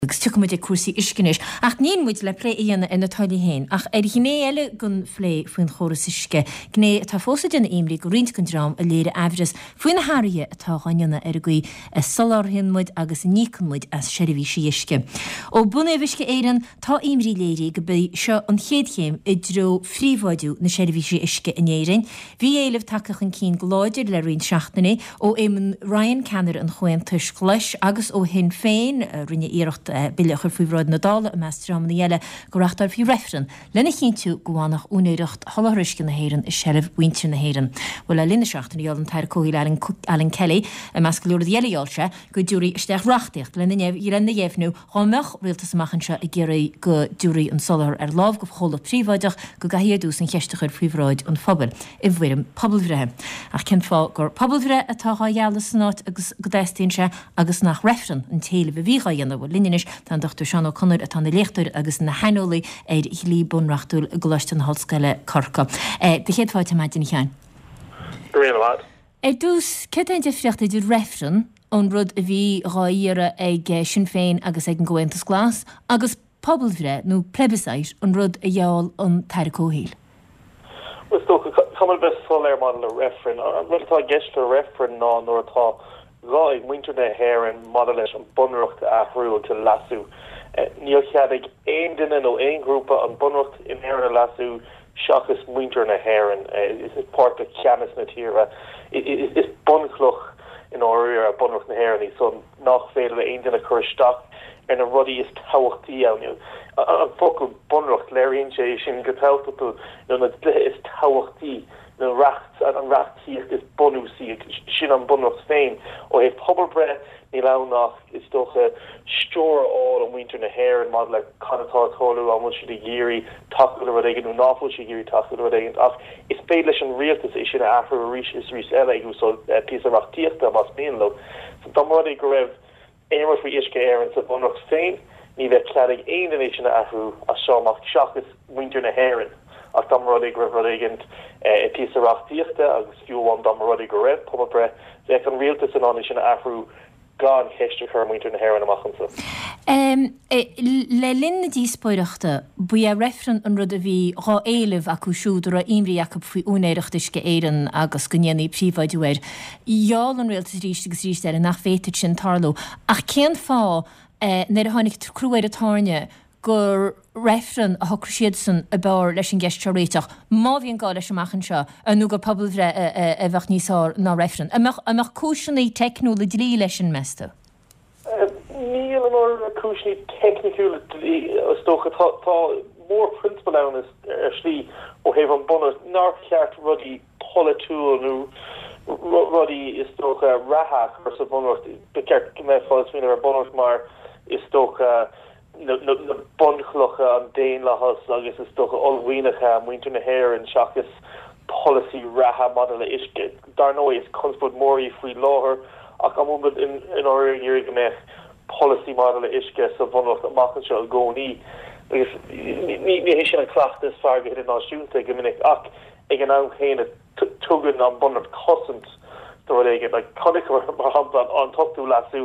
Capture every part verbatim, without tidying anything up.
Agus tiocfaidh muid ag cúrsaí uisce anois. Ach níl muid le plé a dhéanamh ar na táillí féin, ach ar ghné eile den phlé faoin chóras uisce, gné atá fós ag déanamh imní do roinnt den dream a léirigh aimhreas faoi na hathruithe atá á ndéanamh ar an gcaoi a soláthraíonn muid agus a n-íocann muid as seirbhísí uisce. Ó bunaíodh Uisce Éireann, tá imní léirithe gurb í seo an chéad chéim i dtreo phríobháidiú na seirbhísí uisce in Éirinn. Bhí éileamh tagtha chun cinn go láidir le roinnt seachtainí ó Éamon Ryan, ceannaire an Chomhaontais Ghlais, agus ó Shinn Féin, a rinne iarracht bille a chur faoi bhráid na Dála i measc dreamanna eile go reáchtálfaí reifreann lena chinntiú go bhfanfadh úinéireacht sholáthar uisce na hÉireann i seilbh mhuintir na hÉireann. Bhuel, le linn na seachtaine gheall an tAire Comhshaoil Alan Kelly, i measc go leor rudaí eile gheall sé, go dtabharfaí isteach reachtaíocht lena dheimhniú dhá mbeadh rialtas amach anseo ag iarraidh go dtabharfaí an soláthar ar láimh do chomhlacht príobháideach go gcaithfí ar dtús an cheist a chur faoi bhráid an phobail i bhfoirm pobalbhreithe. Ach cén fáth gur pobalbhreith atá dhá ghealladh san áit agus go dteastaíonn sé agus nach reifreann an t-éileamh a bhí dhá dhéanamh? Bhuel, linn anois tá an Dochtúir Seán Ó Conaill atá ina léachtóir agus ina shaineolaí ar dhlí bunreachtúil i gColáiste na hOllscoile, Corcaigh. Do chéad fáilte ar maidin, a Sheáin. Go raibh míle maith. Ar dtús, céard é an difríocht idir reifreann, an rud a bhí dhá iarraidh ag Sinn Féin agus ag an gComhaontas Glas, agus pobalbhreith, nó plebiscite, an rud a gheall an tAire Comhshaoil? Bhuel, is dócha, caithfidh muid a bheith soiléir maidir le reifreann. An rud atá i gceist le reifreann ná nuair atá gá ag muintir na hÉireann maidir leis an Bunreacht a athrú agus a leasú. Níl cead ag aon duine nó aon ghrúpa an Bunreacht in Éirinn a leasú seachas muintir na hÉireann. Is páirt de cheannas na tíre. Is bunchloch i ndáiríre Bunreacht na hÉireann í so nach féidir le aon duine cur isteach ar na rudaí is tábhachtaí ann. An focal Bunreacht, léiríonn sé sin go tábhachtach nó na dlíthe is tábhachtaí. na reacht, an reachtaíocht is bunúsaí, sin an Bunreacht féin. Ó thaobh pobalbhreith, níl ann ach, is dócha, stiúir a fháil ó mhuintir na hÉireann maidir le cad atá ag tarlú, an bhfuil siad ag iarraidh tacú le rud éigin nó nach bhfuil siad ag iarraidh tacú le rud éigin. Ach is féidir leis an rialtas é sin a athrú arís is arís eile ag úsáid píosa reachtaíochta más mian leo. So dá mba rud é go raibh aon rud faoi Uisce Éireann sa Bhunreacht féin, ní bheadh cead ag aon duine é sin a athrú as seo amach seachas muintir na hÉireann. Ach dá mba rud é go raibh rud éigin i bpíosa reachtaíochta, agus fiú amháin dá mba rud é go raibh pobalbhreith, bheadh an rialtas in ann é sin a athrú gan ceist a chur ar mhuintir na hÉireann amach anseo. Le linn na díospóireachta, ba é reifreann an rud a bhí dhá éileamh acu siúd a raibh imní acu faoi úinéireacht Uisce Éireann agus go ndéanfaí príobháidiú air. Gheall an rialtas arís agus arís eile nach bhféadfadh sin tarlú. Ach cén fáth, nuair a tháinig crú ar an tairne, gur reifreann a shocraigh siadsan ab fhearr leis an gceist seo a réiteach, má bhíonn gá leis amach anseo, nó gur pobalbhreith a bheadh níos fearr ná reifreann? An mbeadh cúiseanna teicniúla dlí leis sin, meas tú? Níl i ndáiríre cúiseanna teicniúla dlí, is dócha. Tá mórphrionsabal ann ar shlí ó thaobh an Bunreacht nár cheart rudaí polaitiúil nó rudaí is dócha reatha a chur sa Bhunreacht. Ba cheart go mbeifeá ag smaoineamh ar an Bunreacht mar is dócha na bunchlocha, an daonlathas agus is dócha uaillmhianacha muintir na hÉireann seachas polasaí reatha maidir le uisce. Dar ndóigh is conspóid mhór í faoi láthair ach an bhfuil muid i ndáiríre ag iarraidh go mbeadh polasaí maidir le uisce sa Bhunreacht amach anseo i gcónaí? Agus ní hé sin an cleachtadh is fearr go hidirnáisiúnta go minic ach ag an am chéanna tugann an Bunreacht cosaint do rud éigin. Like, chonaiceamar, mar shampla, an t-ochtú leasú,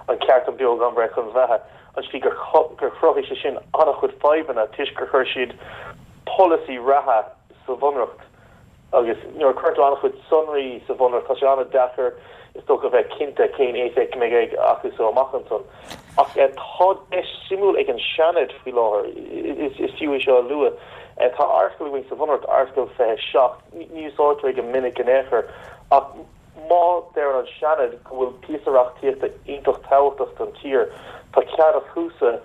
an ceart chun beo gan bhreith chun beatha, an tslí gur chruthaigh sé sin an-chuid fadhbanna toisc gur chuir siad polasaí reatha sa Bhunreacht. Agus nuair a chuireann tú an-chuid sonraí sa Bhunreacht, tá sé an-deacair, is dócha, a bheith cinnte cén éifeacht a mbeidh acu so amach ansan. Ach tá deis suimiúil ag an Seanad faoi láthair, is fiú é seo a lua. Tá Airteagal againn sa Bhunreacht, Airteagal fiche a seacht, ní úsáidtear é go minic in aon chor, ach má deireann an Seanad go bhfuil píosa reachtaíochta iontach tábhachtach don tír, tá cead acusa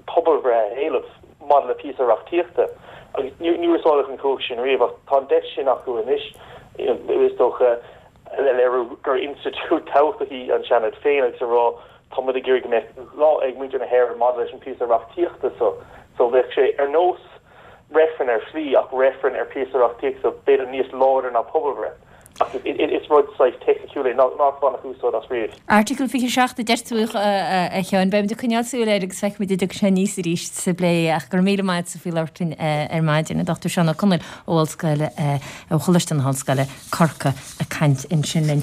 pobalbhreith a éileamh maidir le píosa reachtaíochta. Agus níor úsáideadh an chumhacht sin riamh, ach tá an deis sin acu anois, is dócha, le léiriú gur institiúid tábhachtach í an Seanad féin agus a rá tá muid ag iarraidh go mbeadh gá ag muintir na hÉireann maidir leis an bpíosa reachtaíochta so. So bheadh sé ar nós reifreann ar shlí ach reifreann ar phíosa reachtaíochta so b'fhéidir níos láidre ná pobalbhreith. Ach is rud saghas teicniciúil é nár baineadh úsáid as riamh. Article fiche a seacht a deir tú, a Sheáin. Beimid ag coinneáil súil air agus feicfimid an dtiocfaidh sé aníos arís sa bplé. Ach go raibh míle maith agatsa faoi labhairt linn ar maidin. An Dochtúir Seán Ó Conaill ó Ollscoil, ó Choláiste na hOllscoile, Corcaigh, ag caint ansin linn.